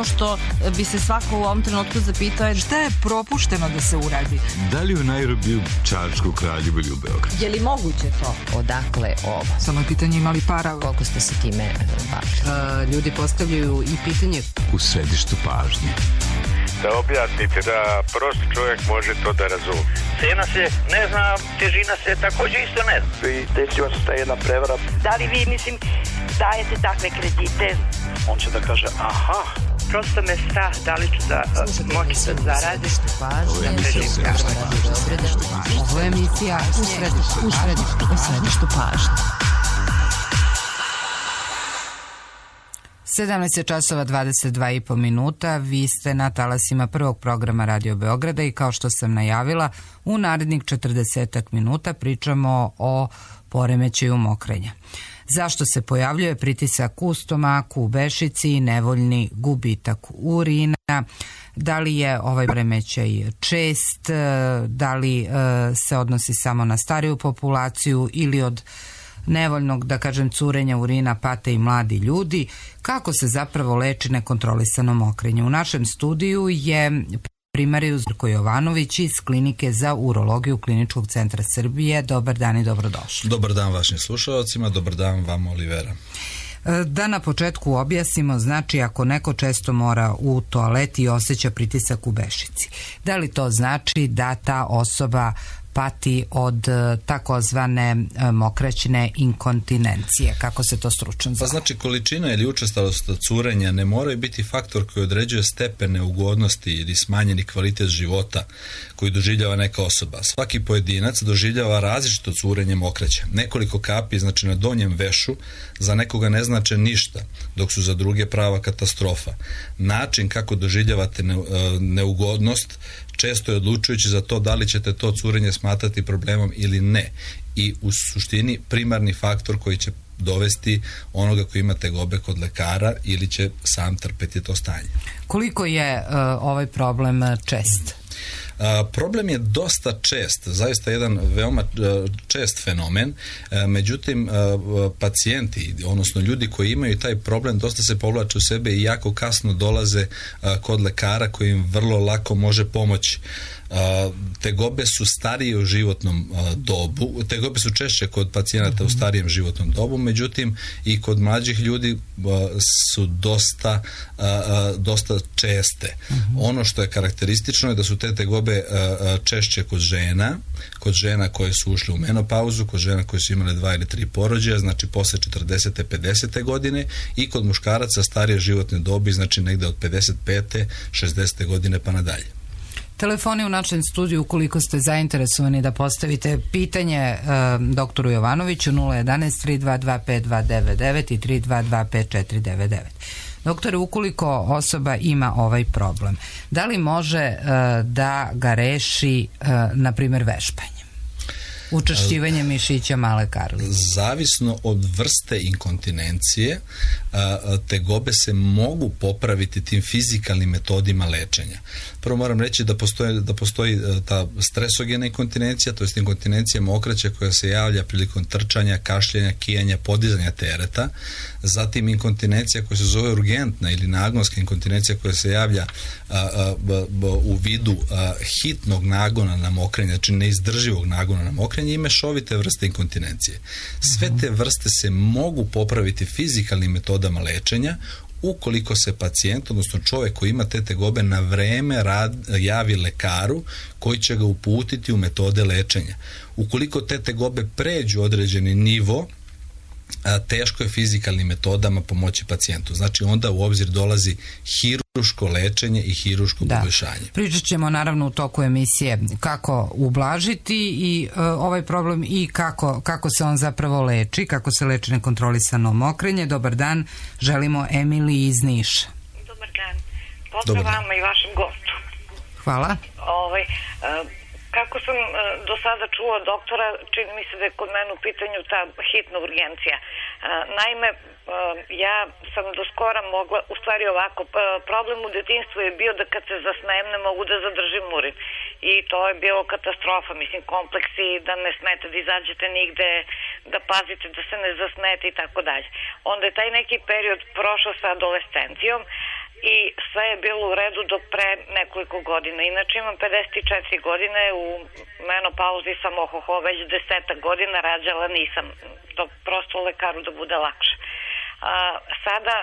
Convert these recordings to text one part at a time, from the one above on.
ono što bi se svako u ovom trenutku zapitao je šta je propušteno da se uradi. Da li u Nairobiju, Čačku, Kraljevu ili u Beogradu? Je li moguće to? Odakle ovo? Samo je pitanje imali para. Koliko ste se time bavili? Ljudi postavljaju i pitanje U središtu pažnje. Da objasnite, da prosti čovjek može to da razumije. Cena se ne zna, težina se također isto ne zna. I desila se ta jedna prevara. Da li vi, dajete takve kredite? On će da kaže, aha. Prosto me strah, da li ću da moći da zaradim. Ovo je emisija u središtu pažnje. 17 časova 22,5 minuta. Vi ste na talasima prvog programa Radio Beograda i kao što sam najavila, u narednih 40 minuta pričamo o poremećaju mokrenja. Zašto se pojavljuje pritisak u stomaku, u bešici i nevoljni gubitak urina? Da li je ovaj poremećaj čest? Da li se odnosi samo na stariju populaciju ili od nevoljnog, da kažem, curenja urina pate i mladi ljudi? Kako se zapravo leči nekontrolisano mokrenje? U našem studiju je primarijus Zdravko Jovanović iz Klinike za urologiju Kliničkog centra Srbije. Dobar dan i dobrodošli. Dobar dan vašim slušalcima, dobar dan vam, Olivera. Da na početku objasnimo, znači ako neko često mora u toalet i osjeća pritisak u bešici, da li to znači da ta osoba pati od takozvane mokraćne inkontinencije, kako se to stručno zove? Pa znači količina ili učestalost curenja ne moraju biti faktor koji određuje stepen neugodnosti ili smanjeni kvalitet života koji doživljava neka osoba. Svaki pojedinac doživljava različito curenje mokraća. Nekoliko kapi, znači na donjem vešu, za nekoga ne znače ništa, dok su za druge prava katastrofa. Način kako doživljavate neugodnost često je odlučujući za to da li ćete to curenje smatrati problemom ili ne. I u suštini primarni faktor koji će dovesti onoga koji ima tegobe kod lekara ili će sam trpeti to stanje. Koliko je ovaj problem čest? Problem je dosta čest, zaista jedan veoma čest fenomen, međutim pacijenti, odnosno ljudi koji imaju taj problem dosta se povlače u sebe i jako kasno dolaze kod lekara koji im vrlo lako može pomoći. Tegobe su starije u životnom dobu, tegobe su češće kod pacijenata u starijem životnom dobu, međutim i kod mlađih ljudi su dosta česte. Ono što je karakteristično je da su te tegobe češće kod žena koje su ušle u menopauzu, kod žena koje su imale 2 ili 3 porođaja, znači posle 40. 50. godine, i kod muškaraca starije životne dobi, znači negde od 55. 60. godine pa nadalje. Telefoni u našem studiju, ukoliko ste zainteresovani da postavite pitanje doktoru Jovanoviću, 011 322 5299 i 322 5499. Doktore, ukoliko osoba ima ovaj problem, da li može da ga reši, na primjer, vešpanjem? Učvršćivanje mišića male karlice. Zavisno od vrste inkontinencije, tegobe se mogu popraviti tim fizikalnim metodima lečenja. Prvo moram reći da postoji ta stresogena inkontinencija, to je inkontinencija mokraća koja se javlja prilikom trčanja, kašljanja, kijanja, podizanja tereta. Zatim inkontinencija koja se zove urgentna ili nagonska inkontinencija koja se javlja u vidu hitnog nagona na mokrenje, znači neizdrživog nagona na mokrenje, i mešovite vrste inkontinencije. Sve te vrste se mogu popraviti fizikalnim metodama lečenja ukoliko se pacijent, odnosno čovjek koji ima te tegobe, na vreme javi lekaru koji će ga uputiti u metode lečenja. Ukoliko te tegobe pređu određeni nivo, teško je fizikalnim metodama pomoći pacijentu. Znači onda u obzir dolazi hiruško lečenje i hiruško poboljšanje. Pričat ćemo naravno u toku emisije kako ublažiti i ovaj problem i kako se on zapravo leči, kako se leči nekontrolisano mokrenje. Dobar dan, želimo Emiliji iz Niša. Dobar dan. Pozdrav vama i vašem gostu. Hvala. Kako sam do sada čula doktora, čini mi se da je kod mene u pitanju ta hitna urgencija. Naime, ja sam do skora mogla, u stvari ovako, problem u detinjstvu je bio da kad se zasnem ne mogu da zadržim urin. I to je bilo katastrofa, mislim, kompleksi, da ne smete da izađete nigde, da pazite da se ne zasnete i tako dalje. Onda je taj neki period prošao sa adolescencijom i sve je bilo u redu do pre nekoliko godina. Inače imam 54 godine, u menopauzi sam već 10 godina, rađala nisam. To prosto lekaru da bude lakše. Sada,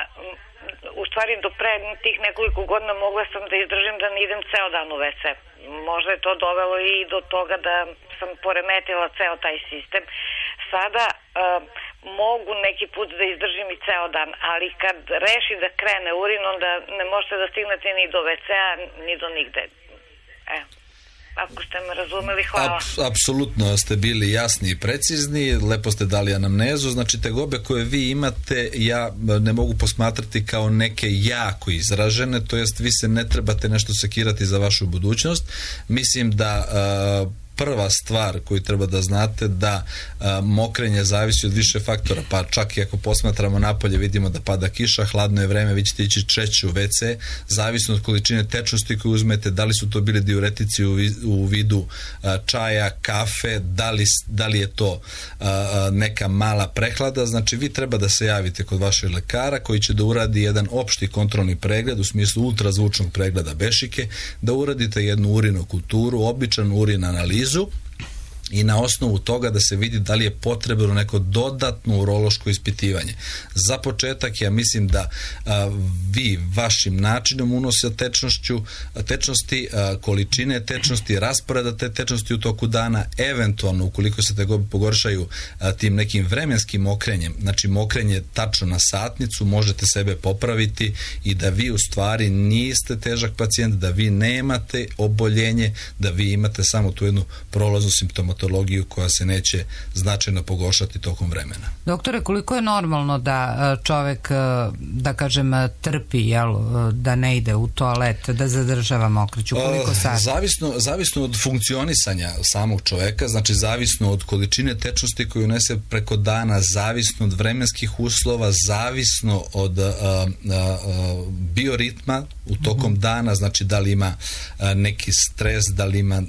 u stvari do pre tih nekoliko godina mogla sam da izdržim da ne idem ceo dan u WC. Možda je to dovelo i do toga da sam poremetila ceo taj sistem. Sada mogu neki put da izdržim i ceo dan, ali kad reši da krene urin, onda ne možete da stignete ni do WC-a, ni do nigde. Ako ste me razumeli, hvala. Apsolutno ste bili jasni i precizni, lepo ste dali anamnezu, znači tegobe koje vi imate ja ne mogu posmatrati kao neke jako izražene, to jest vi se ne trebate nešto sekirati za vašu budućnost. Mislim da prva stvar koju treba da znate da mokrenje zavisi od više faktora, pa čak i ako posmatramo napolje vidimo da pada kiša, hladno je vreme, vi ćete ići češće u WC, zavisno od količine tečnosti koju uzmete, da li su to bili diuretici u vidu čaja, kafe, da li je to neka mala prehlada, znači vi treba da se javite kod vašeg lekara koji će da uradi jedan opšti kontrolni pregled u smislu ultrazvučnog pregleda bešike, da uradite jednu urinokulturu, običan urin analizu i na osnovu toga da se vidi da li je potrebno neko dodatno urološko ispitivanje. Za početak ja mislim da vi vašim načinom unosa tečnosti, količine tečnosti, rasporeda te tečnosti u toku dana, eventualno ukoliko se tegobe pogoršaju tim nekim vremenskim mokrenjem, znači mokrenje tačno na satnicu, možete sebe popraviti i da vi u stvari niste težak pacijent, da vi nemate oboljenje, da vi imate samo tu jednu prolaznu simptomatologiju koja se neće značajno pogoršati tokom vremena. Doktore, koliko je normalno da čovek, da kažem, trpi, da ne ide u toalet, da zadržava mokriću? Koliko sati? Zavisno od funkcionisanja samog čoveka, znači zavisno od količine tečnosti koju unese preko dana, zavisno od vremenskih uslova, zavisno od bioritma u tokom dana, znači da li ima neki stres, da li ima,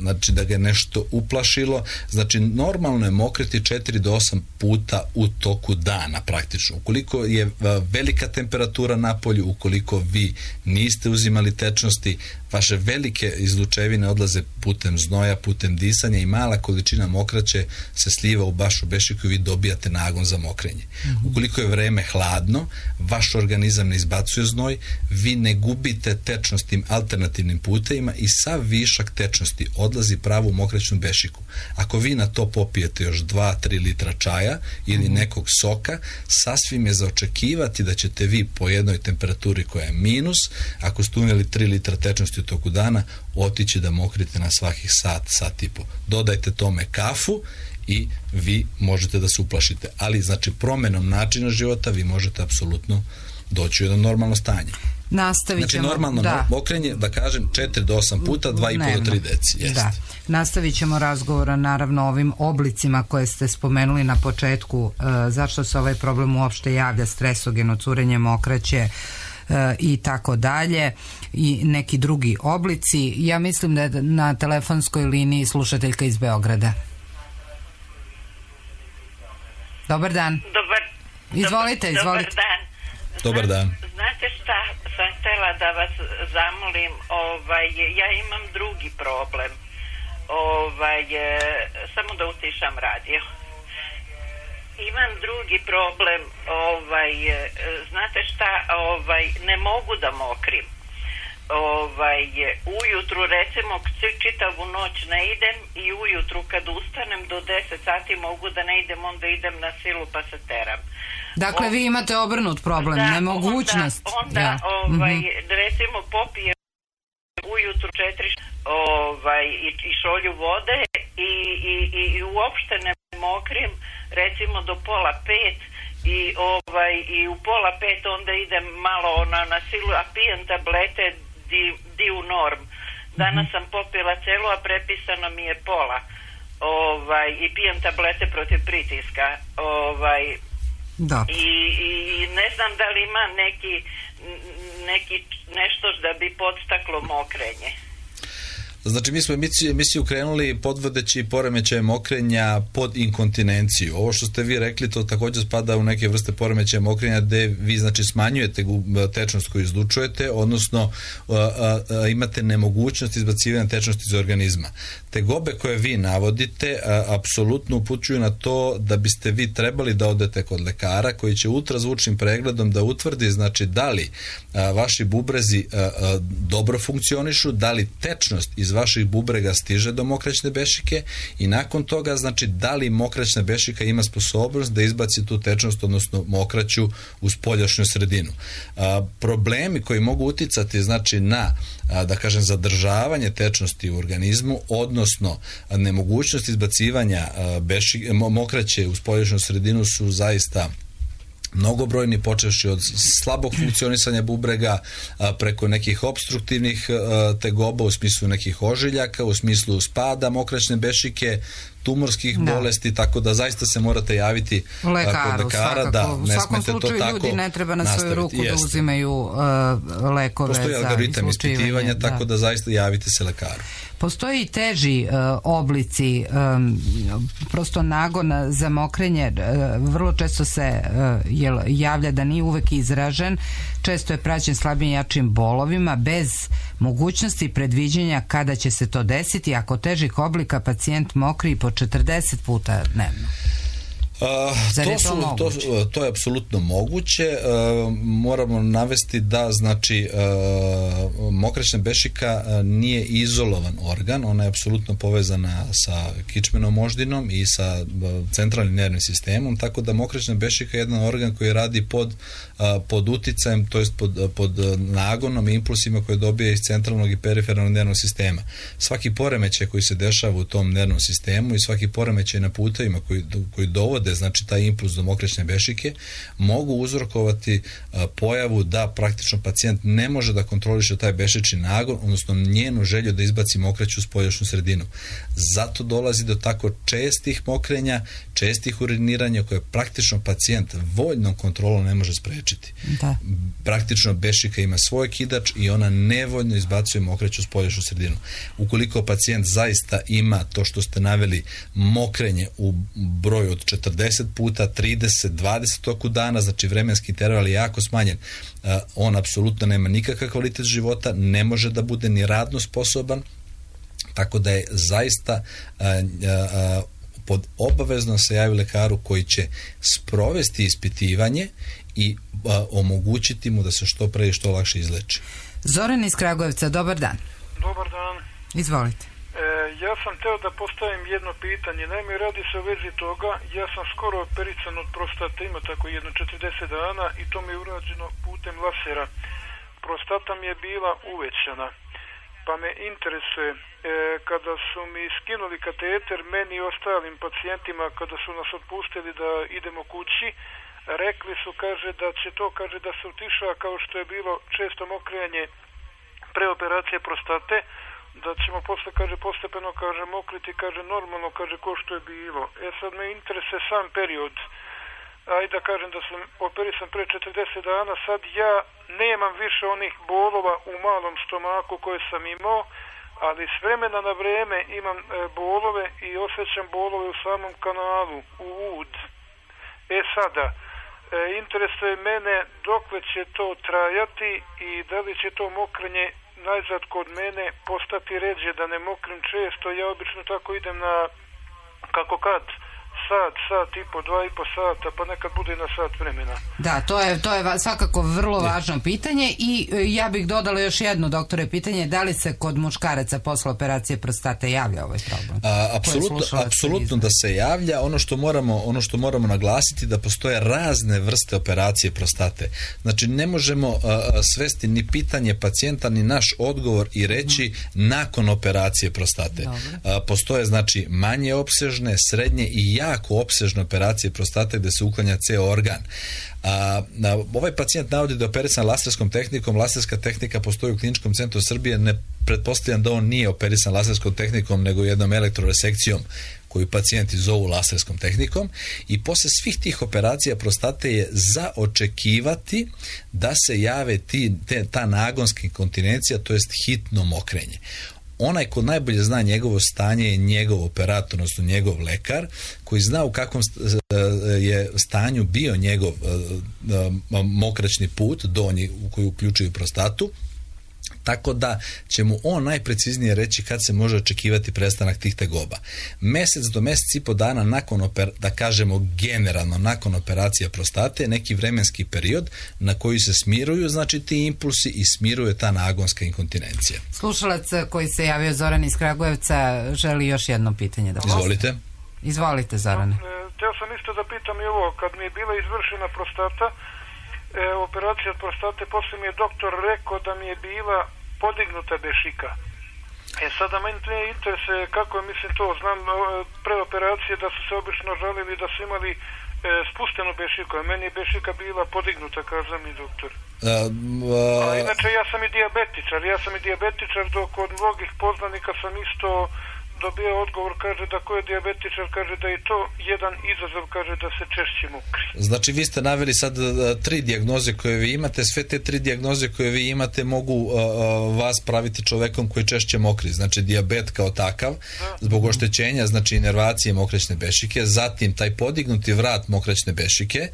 znači da ga je nešto uplašilo, znači normalno je mokriti 4 do 8 puta u toku dana praktično. Ukoliko je velika temperatura na polju, ukoliko vi niste uzimali tečnosti, vaše velike izlučevine odlaze putem znoja, putem disanja i mala količina mokraće se sliva u vašu bešiku i vi dobijate nagon za mokrenje. Ukoliko je vreme hladno, vaš organizam ne izbacuje znoj, vi ne gubite tečnost tim alternativnim putevima i sav višak tečnosti odlazi pravo u mokraćnu bešiku. Ako vi na to popijete još 2-3 litra čaja ili nekog soka, sasvim je za očekivati da ćete vi po jednoj temperaturi koja je minus, ako ste unijeli 3 litra tečnosti u toku dana, otići da mokrite na svakih sat i po. Dodajte tome kafu i vi možete da se uplašite. Ali znači promenom načina života vi možete apsolutno doći u jedno normalno stanje. Nastavit ćemo, znači normalno mokrenje, da kažem, 4 do 8 puta, 2,5 do 3 deci. Jest. Da. Nastavit ćemo razgovora naravno o ovim oblicima koje ste spomenuli na početku, zašto se ovaj problem uopšte javlja, stresogeno, curenje mokraće i tako dalje i neki drugi oblici. Ja mislim da je na telefonskoj liniji slušateljka iz Beograda. Dobar dan. Izvolite. Dobar dan. Dobar dan. Znate šta sam htjela da vas zamolim, ja imam drugi problem. Samo da utišam radio. Imam drugi problem, znate šta, ne mogu da mokrim. Ujutru recimo čitavu noć ne idem i ujutru kad ustanem do 10 sati mogu da ne idem, onda idem na silu pa se teram. Dakle, vi imate obrnut problem, nemogućnost. Onda recimo popijem ujutru 4 i šolju vode i uopšte ne mokrim recimo do 4:30 i u 4:30 onda idem malo na silu, a pijem tablete Diu Norm. Danas sam popila celu, a prepisano mi je pola. I pijem tablete protiv pritiska. I ne znam da li ima neki nešto da bi podstaklo mokrenje. Znači, mi smo emisiju krenuli podvodeći poremećaje mokrenja pod inkontinenciju. Ovo što ste vi rekli, to također spada u neke vrste poremećaja mokrenja gde vi, znači, smanjujete tečnost koju izlučujete, odnosno imate nemogućnost izbacivanja tečnosti iz organizma. Tegobe koje vi navodite apsolutno upućuju na to da biste vi trebali da odete kod lekara koji će ultrazvučnim pregledom da utvrdi, znači, da li vaši bubrezi dobro funkcionišu, da li tečnost iz vaših bubrega stiže do mokraćne bešike i nakon toga, znači, da li mokraćna bešika ima sposobnost da izbaci tu tečnost, odnosno mokraću u spoljašnju sredinu. Problemi koji mogu uticati, znači, na, da kažem, zadržavanje tečnosti u organizmu, odnosno nemogućnost izbacivanja mokraće u spoljašnju sredinu su zaista mnogobrojni, počevši od slabog funkcionisanja bubrega preko nekih opstruktivnih tegoba u smislu nekih ožiljaka, u smislu spada mokraćne bešike, tumorskih bolesti, tako da zaista se morate javiti kod lekara. Da, u svakom slučaju ljudi ne treba na svoju ruku da uzimaju lekove. Postoji algoritam ispitivanja, tako da zaista javite se lekaru. Postoji i teži oblici prosto nagona za mokrenje, vrlo često se javlja da nije uvek izražen, često je praćen slabim jačim bolovima bez mogućnosti predviđenja kada će se to desiti. Ako težih oblika pacijent mokri po 40 puta dnevno. To je apsolutno moguće. Moramo navesti da, znači, mokraćna bešika nije izolovan organ, ona je apsolutno povezana sa kičmenom moždinom i sa centralnim nervnim sistemom, tako da mokraćna bešika je jedan organ koji radi pod uticajem, to jest pod nagonom i impulsima koje dobije iz centralnog i perifernog nervnog sistema. Svaki poremećaj koji se dešava u tom nervnom sistemu i svaki poremećaj na putevima koji dovode, znači, taj impuls do mokraćne bešike, mogu uzrokovati pojavu da praktično pacijent ne može da kontroliše taj bešični nagon, odnosno njenu želju da izbaci mokraću u spoljašnju sredinu. Zato dolazi do tako čestih mokrenja, čestih uriniranja koje praktično pacijent voljnom kontrolom ne može sprečiti. Da. Praktično bešika ima svoj kidač i ona nevoljno izbacuje mokraću u spoljašnju sredinu. Ukoliko pacijent zaista ima to što ste naveli, mokrenje u broju od 40 puta, 30, 20 toku dana, znači vremenski interval je jako smanjen, on apsolutno nema nikakav kvalitet života, ne može da bude ni radno sposoban, tako da je zaista pod obavezno se javi lekaru koji će sprovesti ispitivanje i omogućiti mu da se što pre i što lakše izleči. Zoran iz Kragujevca, dobar dan. Dobar dan. Izvolite. Ja sam teo da postavim jedno pitanje. Naime, radi se o vezi toga, ja sam skoro operican od prostate, ima tako jedno 40 dana i to mi je urađeno putem lasera. Prostata mi je bila uvećana, pa me interesuje, kada su mi skinuli kateter, meni i ostalim pacijentima, kada su nas otpustili da idemo kući, rekli su, kaže, da će to, kaže, da se utiša kao što je bilo često mokrenje pre operacije prostate, da ćemo posle, kaže, postepeno, kaže, mokriti, kaže, normalno, kaže, ko što je bilo. Sad me interesuje sam period. Ajde da kažem da sam operisan pre 40 dana, sad ja nemam više onih bolova u malom stomaku koje sam imao, ali s vremena na vreme imam bolove i osjećam bolove u samom kanalu, u ud. Sada, interesuje mene dokle će to trajati i da li će to mokrenje najzad kod mene postati ređe, da ne mokrim često. Ja obično tako idem na, kako kad, sat i po, 2,5 sata, pa nekad bude na sat vremena. Da, to je svakako vrlo važno pitanje i ja bih dodala još jedno, doktore, pitanje, da li se kod muškaraca posle operacije prostate javlja ovaj problem? Apsolutno da se javlja. Ono što moramo naglasiti da postoje razne vrste operacije prostate. Znači, ne možemo svesti ni pitanje pacijenta, ni naš odgovor i reći nakon operacije prostate. Postoje, znači, manje opsežne, srednje i jako opsežne operacije prostate gde se uklanja ceo organ. Ovaj pacijent navodi da je operisan laserskom tehnikom. Laserska tehnika postoji u Kliničkom centru Srbije. Ne pretpostavljam da on nije operisan laserskom tehnikom, nego jednom elektroresekcijom koju pacijenti zovu laserskom tehnikom, i posle svih tih operacija prostate je za očekivati da se jave ta nagonska inkontinencija, to jest hitno mokrenje. onaj ko najbolje zna njegovo stanje je njegov operator, odnosno njegov lekar, koji zna u kakvom je stanju bio njegov mokraćni put, donji, u koji uključuju prostatu, tako da će mu on najpreciznije reći kad se može očekivati prestanak tih tegoba. Mesec do mesec i po dana nakon, da kažemo generalno, nakon operacije prostate, neki vremenski period na koji se smiruju, znači ti impulsi i smiruje ta nagonska inkontinencija. Slušalac koji se javio, Zoran iz Kragujevca, želi još jedno pitanje da postavi. Izvolite. Izvolite, Zorane. Htio sam isto da pitam i ovo, kad mi je bila izvršena prostata, operacija od prostate, poslije mi je doktor rekao da mi je bila podignuta bešika. Sada meni to interesuje kako je, mislim to, znam pre operacije da su se obično žalili da su imali spuštenu bešiku, a meni je bešika bila podignuta, kaza mi doktor. A inače ja sam i dijabetičar, dok od mnogih poznanika sam isto dobio odgovor, kaže da ko je dijabetičar, kaže da je to jedan izazov, kaže da se češće mokri. Znači vi ste naveli sad 3 dijagnoze koje vi imate, sve te 3 dijagnoze koje vi imate mogu vas praviti čovekom koji češće mokri, znači dijabet kao takav, zbog oštećenja, znači inervacije mokraćne bešike, zatim taj podignuti vrat mokraćne bešike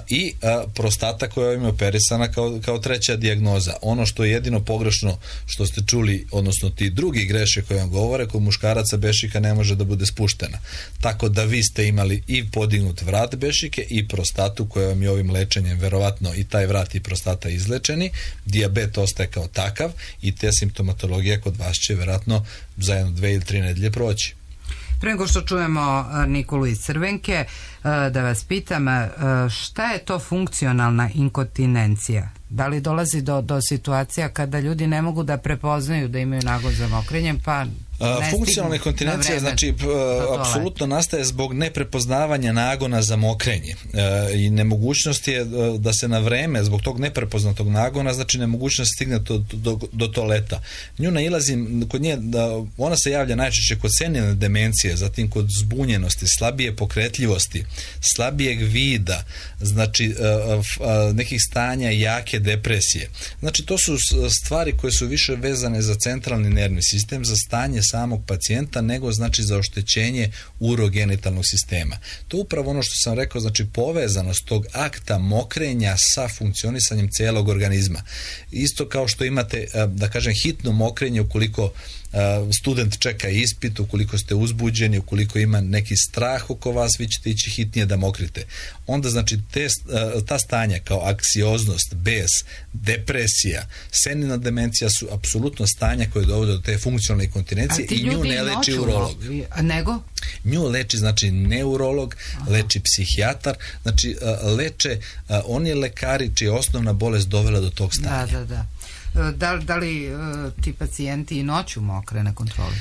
i prostata koja im je operisana kao treća dijagnoza. Ono što je jedino pogrešno što ste čuli, odnosno ti drugi greše koje vam govore, kod muškaraca bešika ne može da bude spuštena. Tako da vi ste imali i podignut vrat bešike i prostatu koja vam je ovim lečenjem verovatno i taj vrat i prostata izlečeni, dijabet ostaje kao takav i te simptomatologije kod vas će verovatno za 1, 2 ili 3 nedelje proći. Pre nego što čujemo Nikolu iz Crvenke, da vas pitam, šta je to funkcionalna inkontinencija? Da li dolazi do situacija kada ljudi ne mogu da prepoznaju da imaju nagon za mokrenjem, pa funkcionalna inkontinencija znači apsolutno nastaje zbog neprepoznavanja nagona za mokrenje i nemogućnost je da se na vreme zbog tog neprepoznatog nagona, znači nemogućnost stigne do toaleta. Nju nailazim kod nje, ona se javlja najčešće kod senilne demencije, zatim kod zbunjenosti, slabije pokretljivosti, slabijeg vida, znači nekih stanja jake depresije. Znači to su stvari koje su više vezane za centralni nervni sistem, za stanje samog pacijenta, nego znači za oštećenje urogenitalnog sistema. To je upravo ono što sam rekao, znači povezanost tog akta mokrenja sa funkcionisanjem cijelog organizma. Isto kao što imate, da kažem, hitno mokrenje ukoliko student čeka ispit, ukoliko ste uzbuđeni, ukoliko ima neki strah oko vas, vi ćete ići hitnije da mokrite. Onda znači ta stanja kao anksioznost, bes, depresija, senilna demencija su apsolutno stanja koje dovode do te funkcionalne inkontinencije i nju ne leči urolog. Nego? Nju leči znači neurolog, leči psihijatar, znači leče oni lekari čija je osnovna bolest dovela do tog stanja. Da. Da li ti pacijenti i noću mokre na kontroli?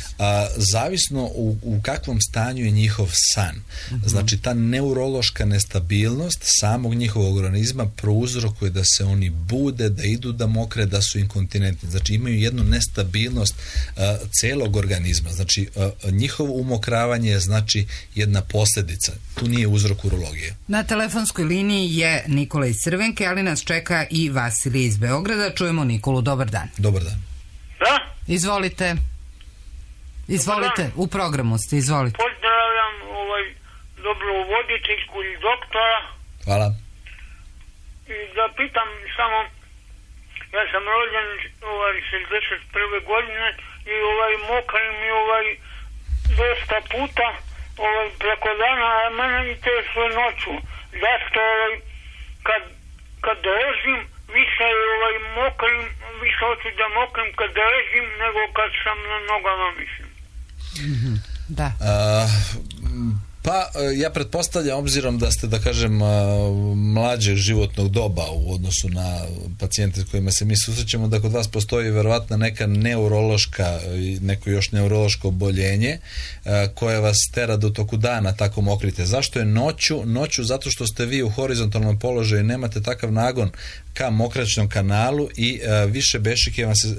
Zavisno u kakvom stanju je njihov san. Znači ta neurološka nestabilnost samog njihovog organizma prouzrokuje da se oni bude, da idu da mokre, da su inkontinentni. Znači imaju jednu nestabilnost celog organizma. Znači njihovo umokravanje je znači jedna posljedica. Tu nije uzrok urologije. Na telefonskoj liniji je Nikola iz Crvenke, ali nas čeka i Vasilij iz Beograda. Čujemo Nikolu. Dobar dan. Dobar dan. Da? Izvolite, u programu ste, izvolite. Pozdravljam dobro voditeljku i doktora. Hvala. I da pitam samo, ja sam rođen 61. godine i mokrim mi dosta puta preko dana, a mene interesuje noću. Zašto kad ležim više mokrim, više hoću da mokrim kad ležim nego kad sam na nogama, mislim. Da. Pa ja pretpostavljam, obzirom da ste, da kažem, mlađeg životnog doba u odnosu na pacijente s kojima se mi susrećemo, da kod vas postoji verovatno neka neurološka, neko još neurološko oboljenje koje vas tera da u toku dana tako mokrite. Zašto je noću? Noću zato što ste vi u horizontalnom položaju, nemate takav nagon ka mokraćnom kanalu i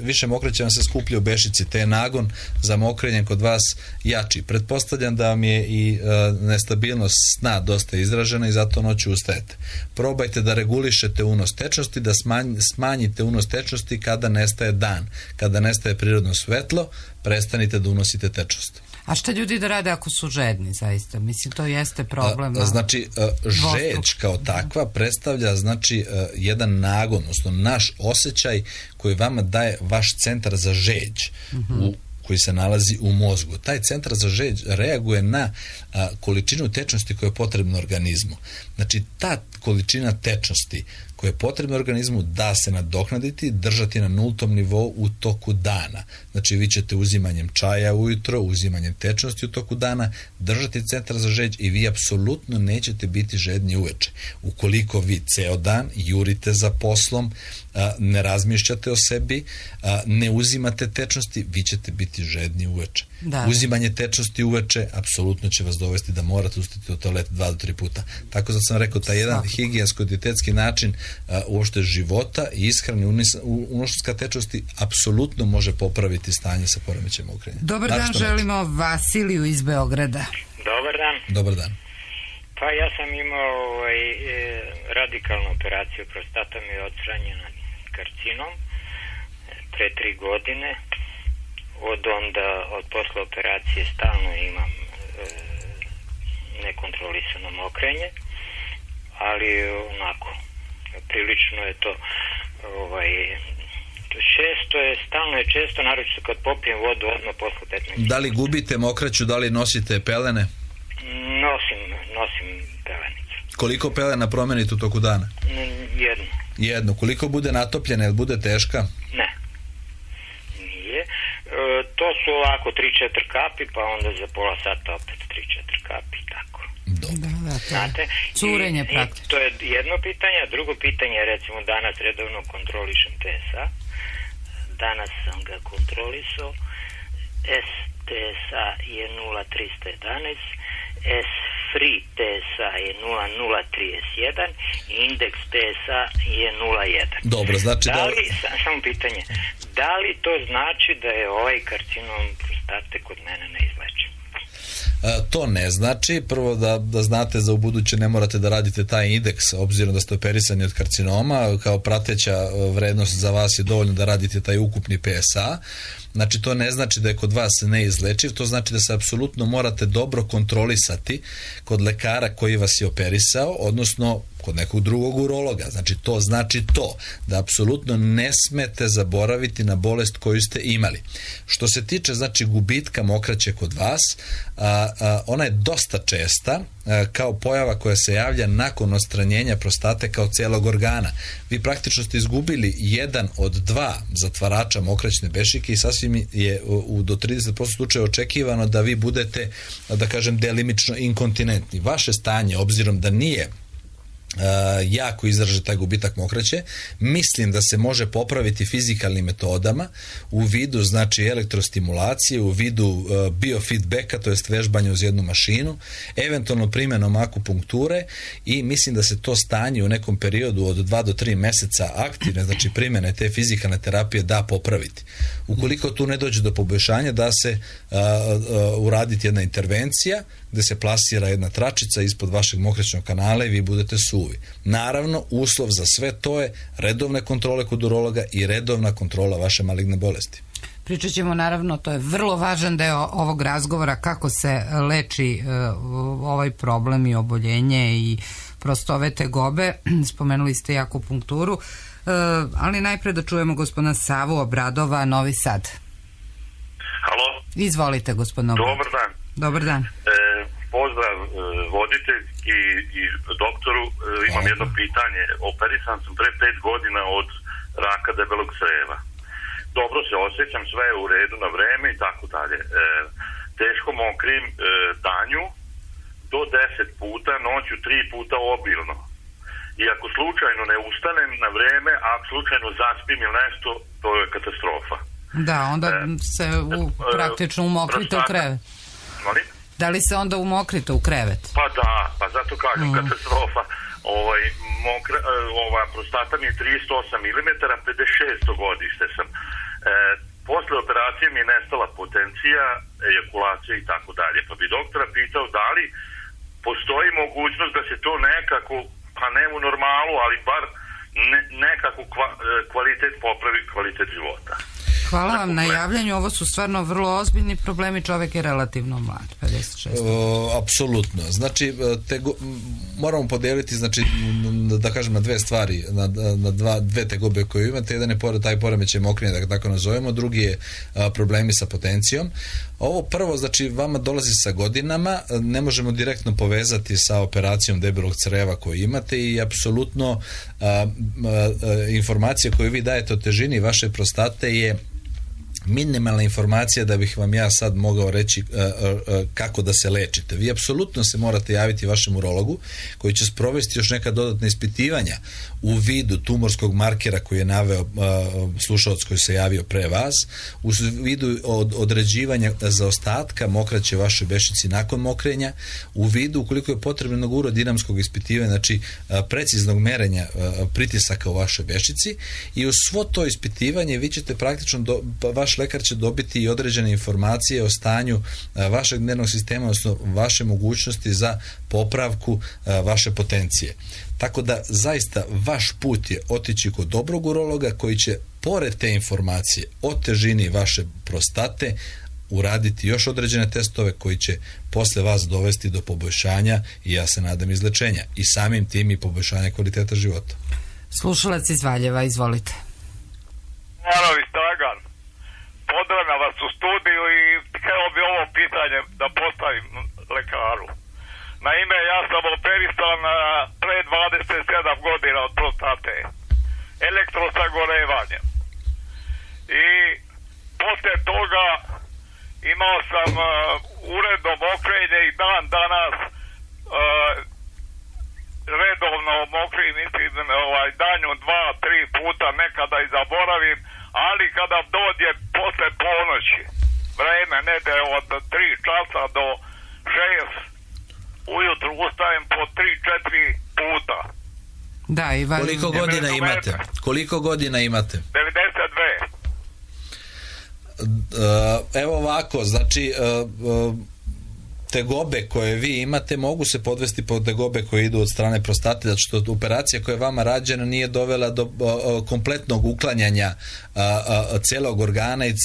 više mokraće vam se skuplja u bešici, te je nagon za mokrenjem kod vas jači. Pretpostavljam da vam je i nestabilnost sna dosta izražena i zato noću ustajete. Probajte da regulišete unos tečnosti, da smanjite unos tečnosti kada nestaje dan, kada nestaje prirodno svetlo, prestanite da unosite tečnost. A šta ljudi da rade ako su žedni, zaista? Mislim, to jeste problem. Znači, žeđ kao takva predstavlja, znači, jedan nagon, odnosno naš osjećaj koji vama daje vaš centar za žeđ, koji se nalazi u mozgu. Taj centar za žeđ reaguje na količinu tečnosti koja je potrebna organizmu. Znači, ta količina tečnosti koja je potrebna organizmu da se nadoknaditi, držati na nultom nivou u toku dana. Znači, vi ćete uzimanjem čaja ujutro, uzimanjem tečnosti u toku dana, držati centar za žeđ i vi apsolutno nećete biti žedni uveče. Ukoliko vi ceo dan jurite za poslom, ne razmišljate o sebi, ne uzimate tečnosti, vi ćete biti žedni uveče. Uzimanje tečnosti uveče apsolutno će vas dovesti da morate ustati u toalet 2 do 3 puta. Tako da sam rekao, taj jedan higijensko-dietetski način uopšte života i ishrane unošenja tečnosti apsolutno može popraviti stanje sa poremećajem okrenja. Dobar dan, želimo Vasiliju iz Beograda. Dobar dan. Dobar dan. Pa ja sam imao radikalnu operaciju, prostata mi je odstranjena karcinom pre 3 godine. Od posle operacije stalno imam nekontrolisano mokrenje, ali onako prilično je to stalno je često, naročito kad popijem vodu odmah posle 15 minuta. Da li gubite mokraću, da li nosite pelene? Nosim pelenicu. Koliko pelena promenite u toku dana? Jedno. Koliko bude natopljena, jel bude teška? Ne. Nije. To su ovako 3-4 kapi, pa onda za pola sata opet 3-4 kapi, tako. Dobro. Znate, curenje praktično. To je jedno pitanje, a drugo pitanje je, recimo, danas redovno kontrolišem TSA. Danas sam ga kontrolisao. STSA je 0,311, S-free TSA je 0,031 i indeks TSA je 0,1. Dobro, znači samo pitanje, da li to znači da je ovaj karcinom prostate kod mene neizlečiv? To ne znači. Prvo da znate, za ubuduće ne morate da radite taj indeks, obzirom da ste operisani od karcinoma, kao prateća vrednost za vas je dovoljno da radite taj ukupni PSA. Znači, to ne znači da je kod vas neizlečiv, to znači da se apsolutno morate dobro kontrolisati kod lekara koji vas je operisao, odnosno kod nekog drugog urologa. Znači, to znači da apsolutno ne smete zaboraviti na bolest koju ste imali. Što se tiče, znači, gubitka mokraće kod vas, ona je dosta česta kao pojava koja se javlja nakon odstranjenja prostate kao celog organa. Vi praktično ste izgubili jedan od 2 zatvarača mokraćne bešike i sasvim je do 30% slučaja očekivano da vi budete, da kažem, delimično inkontinentni. Vaše stanje, obzirom da nije jako izražen taj gubitak mokraće, mislim da se može popraviti fizikalnim metodama u vidu, znači, elektrostimulacije, u vidu biofeedbacka, to jest vežbanja uz jednu mašinu, eventualno primjenom akupunkture, i mislim da se to stanje u nekom periodu od 2 do 3 meseca aktivne, znači primjene te fizikalne terapije, da popraviti. Ukoliko tu ne dođe do poboljšanja, da se uraditi jedna intervencija gde se plasira jedna tračica ispod vašeg mokraćnog kanala i vi budete suvi. Naravno, uslov za sve to je redovne kontrole kod urologa i redovna kontrola vaše maligne bolesti. Pričat ćemo, naravno, to je vrlo važan deo ovog razgovora, kako se leči ovaj problem i oboljenje i prosto ove tegobe. Spomenuli ste i akupunkturu, ali najpre da čujemo gospodina Savu Obradova, Novi Sad. Halo? Izvolite, gospodin Obradov. Dobar dan. Dobar dan. Pozdrav voditelj i doktoru. Imam jedno pitanje. Operisan sam pre 5 godina od raka debelog creva. Dobro se osjećam, sve je u redu na vreme i tako dalje. Teško mokrim danju do 10 puta, noću 3 puta obilno. I ako slučajno ne ustanem na vreme, a slučajno zaspim ili nešto, to je katastrofa. Da, onda se praktično umokrite u krevet. Molim? Da li se onda umokrite u krevet? Pa da, pa zato kažem katastrofa. Prostata mi je 38 mm, 56. godište sam. Posle operacije mi je nestala potencija, ejakulacija i tako dalje. Pa bi doktora pitao da li postoji mogućnost da se to nekako, pa ne u normalu, ali bar nekako kvalitet popravi, kvalitet života. Hvala vam na javljanju, ovo su stvarno vrlo ozbiljni problemi, čovjek je relativno mlad, 56. Apsolutno, znači moramo podijeliti, znači da kažem na dve stvari, na dve tegobe koje imate. Jedan je taj poremećaj mokrenja, da tako nazovemo, drugi je problemi sa potencijom. Ovo prvo, znači vama dolazi sa godinama, ne možemo direktno povezati sa operacijom debelog creva koju imate i apsolutno informacija koju vi dajete o težini vaše prostate je minimalna informacija da bih vam ja sad mogao reći kako da se lečite. Vi apsolutno se morate javiti vašem urologu koji će sprovesti još neka dodatna ispitivanja u vidu tumorskog markera koji je naveo slušalac koji se javio pre vas, u vidu određivanja zaostatka mokraće vaše bešici nakon mokrenja, u vidu ukoliko je potrebno urodinamskog ispitivanja, znači preciznog merenja pritisaka u vašoj bešici, i uz svo to ispitivanje vi ćete praktično vaš lekar će dobiti i određene informacije o stanju vašeg nervnog sistema, odnosno vaše mogućnosti za popravku vaše potencije. Tako da zaista vaš put je otići kod dobrog urologa koji će pored te informacije o težini vaše prostate uraditi još određene testove koji će posle vas dovesti do poboljšanja i ja se nadam izlečenja i samim tim i poboljšanja kvaliteta života. Slušalac iz Valjeva, izvolite. Morovi Dragan, pozdravljam vas u studiju i htio bi ovo pitanje da postavim lekaru. Naime, ja sam operisan pre 27 godina od prostate, elektrosagorevanjem. I posle toga imao sam uredno mokrenje i dan danas redovno mokrim, mislim, danju 2-3 puta, nekada i zaboravim, ali kada dođe posle ponoći, vreme nede od 3 časa do 6, ujutru ustajem po 3-4 puta. Da, Ivan. Koliko godina imate? 92. Evo ovako, znači tegobe koje vi imate mogu se podvesti pod tegobe koje idu od strane prostate, zato što operacija koja je vama rađena nije dovela do kompletnog uklanjanja celog organa i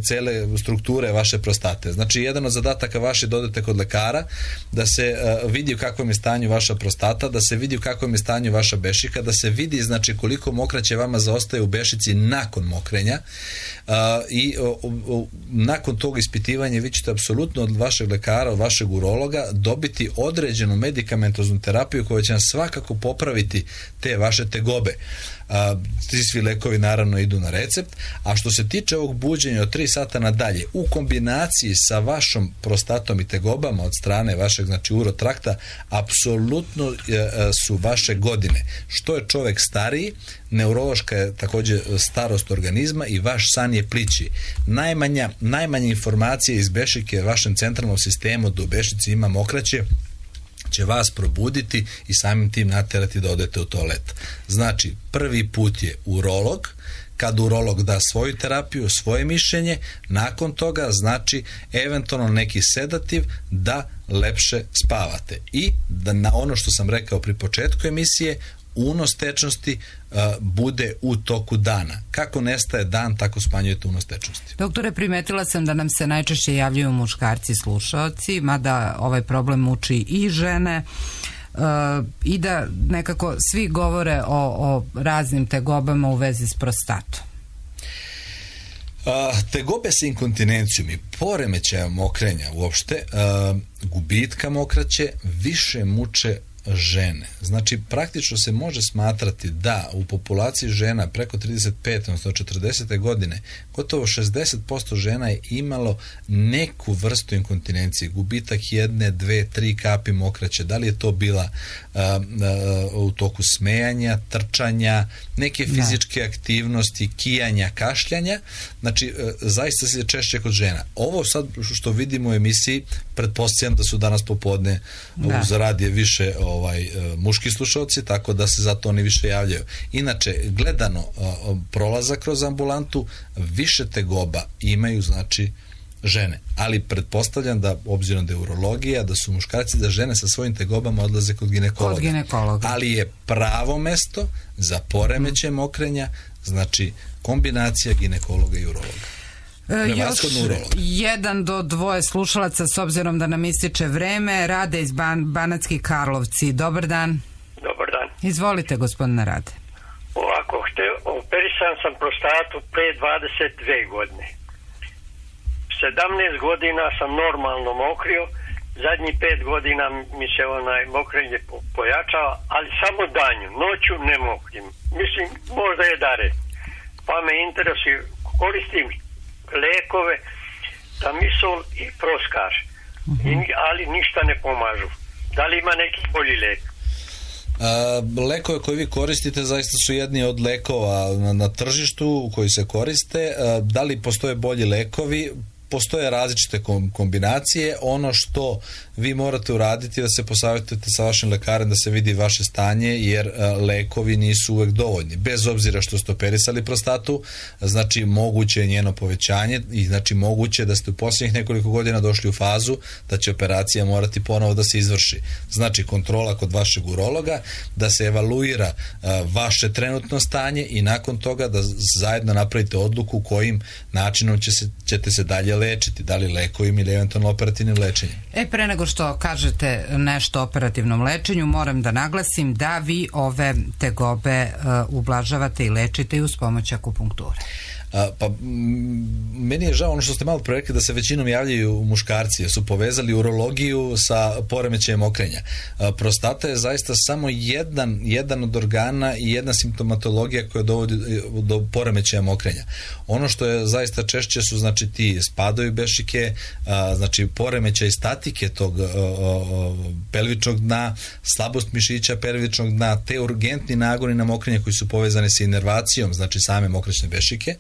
cele strukture vaše prostate. Znači, jedan od zadataka vaše da odete kod lekara, da se vidi u kakvom je stanju vaša prostata, da se vidi u kakvom je stanju vaša bešika, da se vidi, znači, koliko mokraće vama zaostaje u bešici nakon mokrenja i nakon tog ispitivanja vi ćete apsolutno od vašeg lekara, od vašeg urologa dobiti određenu medikamentoznu terapiju koja će vam svakako popraviti te vaše tegobe. Ti svi lekovi naravno idu na recept, a što se tiče ovog buđenja od 3 sata nadalje u kombinaciji sa vašom prostatom i tegobama od strane vašeg, znači, urotrakta, apsolutno su vaše godine. Što je čovjek stariji, neurološka je također starost organizma i vaš san je plići. Najmanje informacije iz bešike vašem centralnom sistemu da u bešici ima mokraće će vas probuditi i samim tim naterati da odete u toalet. Znači, prvi put je urolog, kad urolog da svoju terapiju, svoje mišljenje, nakon toga, znači, eventualno neki sedativ da lepše spavate. I da na ono što sam rekao pri početku emisije, unos tečnosti bude u toku dana. Kako nestaje dan, tako smanjujete unos tečnosti. Doktore, primetila sam da nam se najčešće javljaju muškarci slušaoci, mada ovaj problem muči i žene, i da nekako svi govore o raznim tegobama u vezi s prostatom. Tegobe sa inkontinencijom i poremećajem mokrenja uopšte, gubitka mokraće više muče žene. Znači, praktično se može smatrati da u populaciji žena preko 35, odnosno 40. godine gotovo 60% žena je imalo neku vrstu inkontinencije, gubitak 1, 2, 3 kapi mokraće. Da li je to bila u toku smejanja, trčanja, neke fizičke aktivnosti, kijanja, kašljanja. Znači, zaista se češće kod žena. Ovo sad što vidimo u emisiji, pretpostavljam da su danas popodne uz radije više muški slušalci, tako da se zato oni više javljaju. Inače, gledano prolazak kroz ambulantu, više tegoba imaju, znači, žene. Ali pretpostavljam da, obzirom da je urologija, da su muškarci, da žene sa svojim tegobama odlaze kod ginekologa. Ali je pravo mesto za poremećaj mokrenja, znači kombinacija ginekologa i urologa. Još 1 do 2 slušalaca, s obzirom da nam ističe vreme. Rade iz Banatski Karlovci. Dobar dan. Dobar dan. Izvolite, gospodine Rade. Ovako, operisan sam prostatu pre 22 godine. 17 godina sam normalno mokrio, zadnjih 5 godina mi se mokrenje pojačava, ali samo danju, noću ne mokrim. Mislim, možda je dare. Pa me interesuje, koristim lekove, Tamisol i Proskar, ali ništa ne pomažu. Da li ima neki bolji lek? Lekove koje vi koristite zaista su jedni od lekova na tržištu koji se koriste. Da li postoje bolji lekovi? Postoje različite kombinacije. Ono što vi morate uraditi je da se posavjetujete sa vašim lekarem, da se vidi vaše stanje, jer lekovi nisu uvek dovoljni. Bez obzira što ste operisali prostatu, znači moguće je njeno povećanje i znači moguće da ste u posljednjih nekoliko godina došli u fazu da će operacija morati ponovo da se izvrši. Znači kontrola kod vašeg urologa, da se evaluira vaše trenutno stanje i nakon toga da zajedno napravite odluku kojim načinom ćete se dalje lečiti, da li lekovima ili eventualno operativnim lečenjem. Pre nego što kažete nešto o operativnom lečenju, moram da naglasim da vi ove tegobe ublažavate i lečite i uz pomoć akupunkture. Pa meni je žao ono što ste malo pre rekli da se većinom javljaju muškarci, jer su povezali urologiju sa poremećajem mokrenja. Prostata je zaista samo jedan od organa i jedna simptomatologija koja dovodi do poremećaja mokrenja. Ono što je zaista češće su znači ti spadovi bešike, znači poremećaj statike tog pelvičnog dna, slabost mišića pelvičnog dna, te urgentni nagoni na mokrenje koji su povezani sa inervacijom, znači same mokraćne bešike.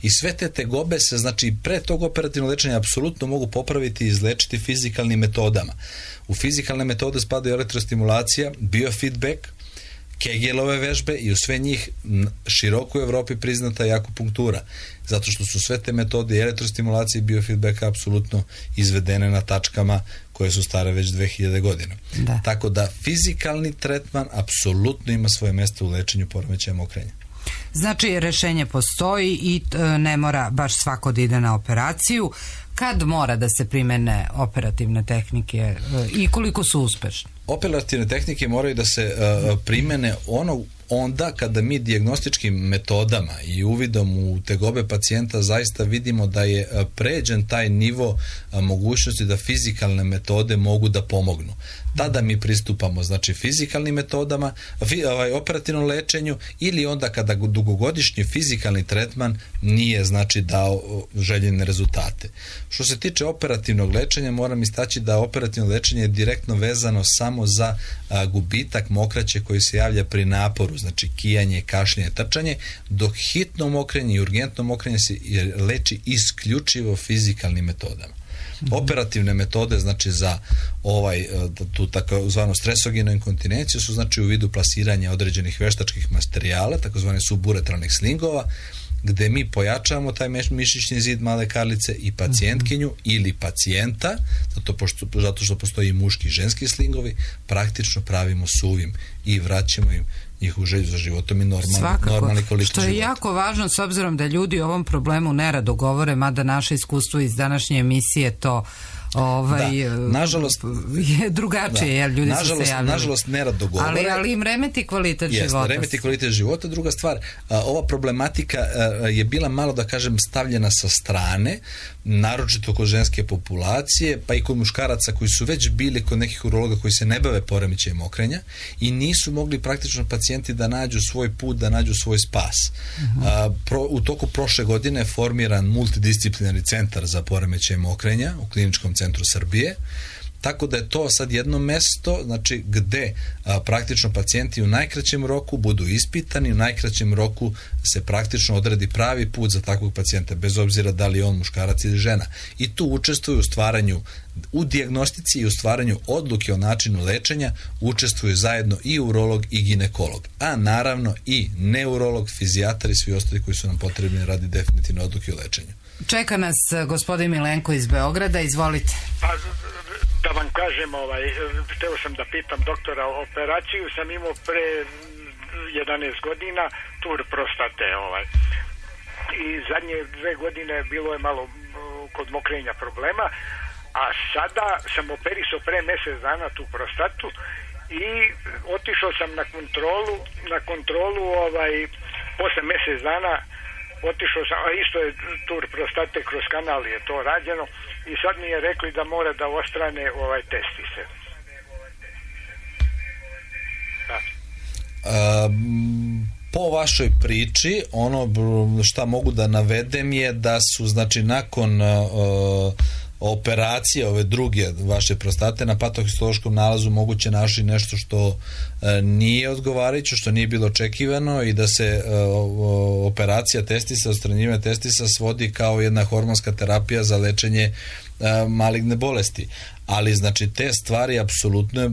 I sve te tegobe se, znači pre tog operativnog lečenja apsolutno mogu popraviti i izlečiti fizikalnim metodama. U fizikalne metode spadaju elektrostimulacija, biofeedback, Kegelove vežbe i u sve njih široko u Evropi priznata je akupunktura. Zato što su sve te metode elektrostimulacije i biofeedbacka apsolutno izvedene na tačkama koje su stare već 2000 godina. Da. Tako da fizikalni tretman apsolutno ima svoje mjesto u lečenju poremećaja mokrenja. Znači, rešenje postoji i ne mora baš svako da ide na operaciju. Kad mora da se primene operativne tehnike i koliko su uspešne? Operativne tehnike moraju da se primene onda kada mi dijagnostičkim metodama i uvidom u tegobe pacijenta zaista vidimo da je pređen taj nivo mogućnosti da fizikalne metode mogu da pomognu. Tada mi pristupamo znači fizikalnim metodama, operativnom lečenju, ili onda kada dugogodišnji fizikalni tretman nije znači dao željene rezultate. Što se tiče operativnog lečenja, moram istaći da operativno lečenje je direktno vezano samo za gubitak mokraće koji se javlja pri naporu, znači kijanje, kašljenje, trčanje, dok hitno mokrenje i urgentno mokrenje se leči isključivo fizikalnim metodama. Operativne metode znači za tu takozvanu stresogenu inkontinenciju su znači u vidu plasiranja određenih veštačkih materijala, takozvane suburetralnih slingova, gde mi pojačavamo taj mišićni zid male karlice i pacijentkinju ili pacijenta, zato što postoji i muški i ženski slingovi, praktično pravimo suvim i vraćamo im njihovu želju za životom i normalni kvalitet života. Što je jako važno s obzirom da ljudi o ovom problemu nerado govore, mada naše iskustvo iz današnje emisije to nažalost je drugačije, jer ljudi su se javili. Nažalost nerado govore. Ali im remeti kvalitet života. Remeti kvalitet života. Druga stvar, ova problematika je bila malo, da kažem, stavljena sa strane, naročito kod ženske populacije, pa i kod muškaraca koji su već bili kod nekih urologa koji se ne bave poremećajem mokrenja i nisu mogli praktično pacijenti da nađu svoj put, da nađu svoj spas. U toku prošle godine je formiran multidisciplinarni centar za poremećaje mokrenja u Kliničkom centru Srbije. tako da je to sad jedno mesto, znači gde praktično pacijenti u najkraćem roku budu ispitani, u najkraćem roku se praktično odredi pravi put za takvog pacijenta, bez obzira da li je on muškarac ili žena. I tu učestvuju u dijagnostici i u stvaranju odluke o načinu lečenja, učestvuju zajedno i urolog i ginekolog, a naravno i neurolog, fizijatar i svi ostali koji su nam potrebni radi definitivne odluke o lečenju. Čeka nas gospodin Milenko iz Beograda, izvolite. Pa, da vam kažem, hteo sam da pitam doktora, operaciju sam imao pre 11 godina, tur prostate, i zadnje 2 godine bilo je malo kod mokrenja problema, a sada sam operisao pre mjesec dana tu prostatu i otišao sam na kontrolu posle mjesec dana otišao sam, a isto je tur prostate, kroz kanal je to rađeno i sad mi je rekli da mora da ostrane testise. Da. Po vašoj priči, ono šta mogu da navedem je da su, znači, nakon operacije ove druge vaše prostate na patohistološkom nalazu moguće našli nešto što nije odgovarajuće, što nije bilo očekivano i da se operacija testisa, odstranjivanje testisa svodi kao jedna hormonska terapija za lečenje maligne bolesti. Ali znači te stvari apsolutno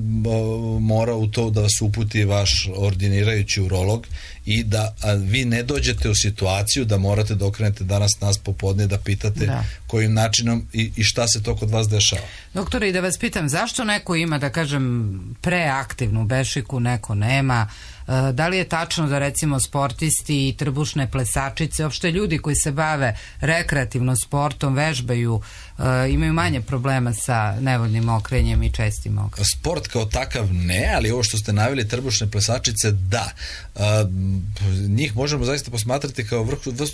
mora u to da vas uputi vaš ordinirajući urolog i da vi ne dođete u situaciju da morate da okrenete danas nas popodne da pitate kojim načinom i šta se to kod vas dešava. Doktore, i da vas pitam, zašto neko ima, da kažem, preaktivnu bešiku, neko nema? Da li je tačno da recimo sportisti i trbušne plesačice, uopšte ljudi koji se bave rekreativno sportom, vežbaju, imaju manje problema sa nevoljnim okrenjem i čestim okrenjem? Sport kao takav ne, ali ovo što ste naveli, trbušne plesačice, da. Njih možemo zaista posmatrati kao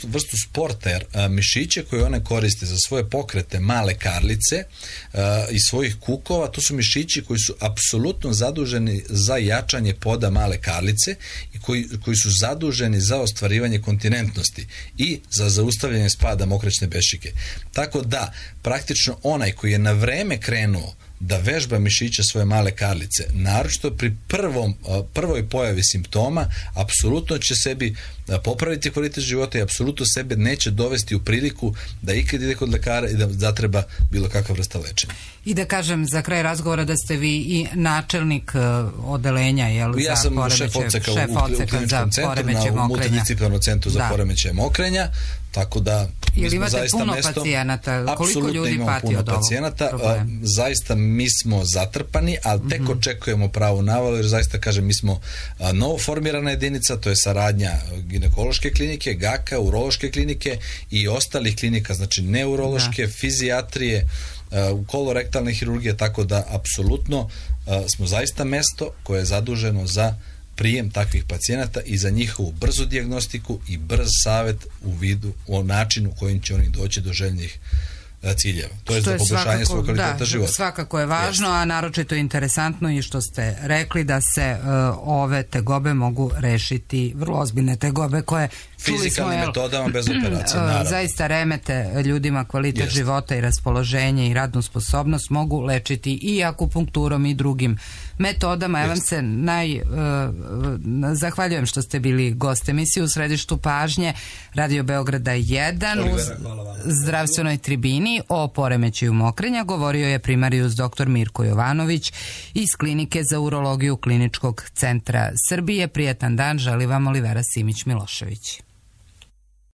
vrstu sporta, jer mišiće koje one koriste za svoje pokrete, male karlice i svojih kukova, to su mišići koji su apsolutno zaduženi za jačanje poda male karlice i koji su zaduženi za ostvarivanje kontinentnosti i za zaustavljanje spada mokraćne bešike. Tako da, praktično onaj koji je na vreme krenuo da vežba mišića svoje male karlice, naročito pri prvoj pojavi simptoma, apsolutno će sebi popraviti kvalitet života i apsolutno sebe neće dovesti u priliku da ikad ide kod lekara i da zatreba bilo kakva vrsta lečenja. I da kažem za kraj razgovora da ste vi i načelnik odelenja, ja sam šef odseka u kliničkom centru, na multidisciplinarnom centru za poremećaje mokrenja, tako da mi smo zaista puno pacijenata, koliko ljudi pati od ovog problema? Zaista mi smo zatrpani, ali tek očekujemo pravu navalu, jer zaista kažem, mi smo novo formirana jedinica, to je saradnja ginekološke klinike, GAK-a, urološke klinike i ostalih klinika, znači neurološke, fizijatrije, kolorektalne hirurgije, tako da apsolutno smo zaista mesto koje je zaduženo za prijem takvih pacijenata i za njihovu brzu dijagnostiku i brz savjet u vidu o načinu kojim će oni doći do željnih ciljeva. To je za poboljšanje svog kvaliteta života. Svakako je važno, a naročito je interesantno i što ste rekli da se ove tegobe mogu rešiti, vrlo ozbiljne tegobe koje fizikalnim metodama bez operacije, naravno. Zaista remete ljudima kvalitet života i raspoloženje i radnu sposobnost mogu lečiti i akupunkturom i drugim metodama. Ja vam se zahvaljujem što ste bili gost emisije u središtu pažnje Radio Beograda 1 u zdravstvenoj tribini o poremećaju mokrenja. Govorio je primarijus dr. Mirko Jovanović iz Klinike za urologiju Kliničkog centra Srbije. Prijetan dan želi vam Olivera Simić-Milošević.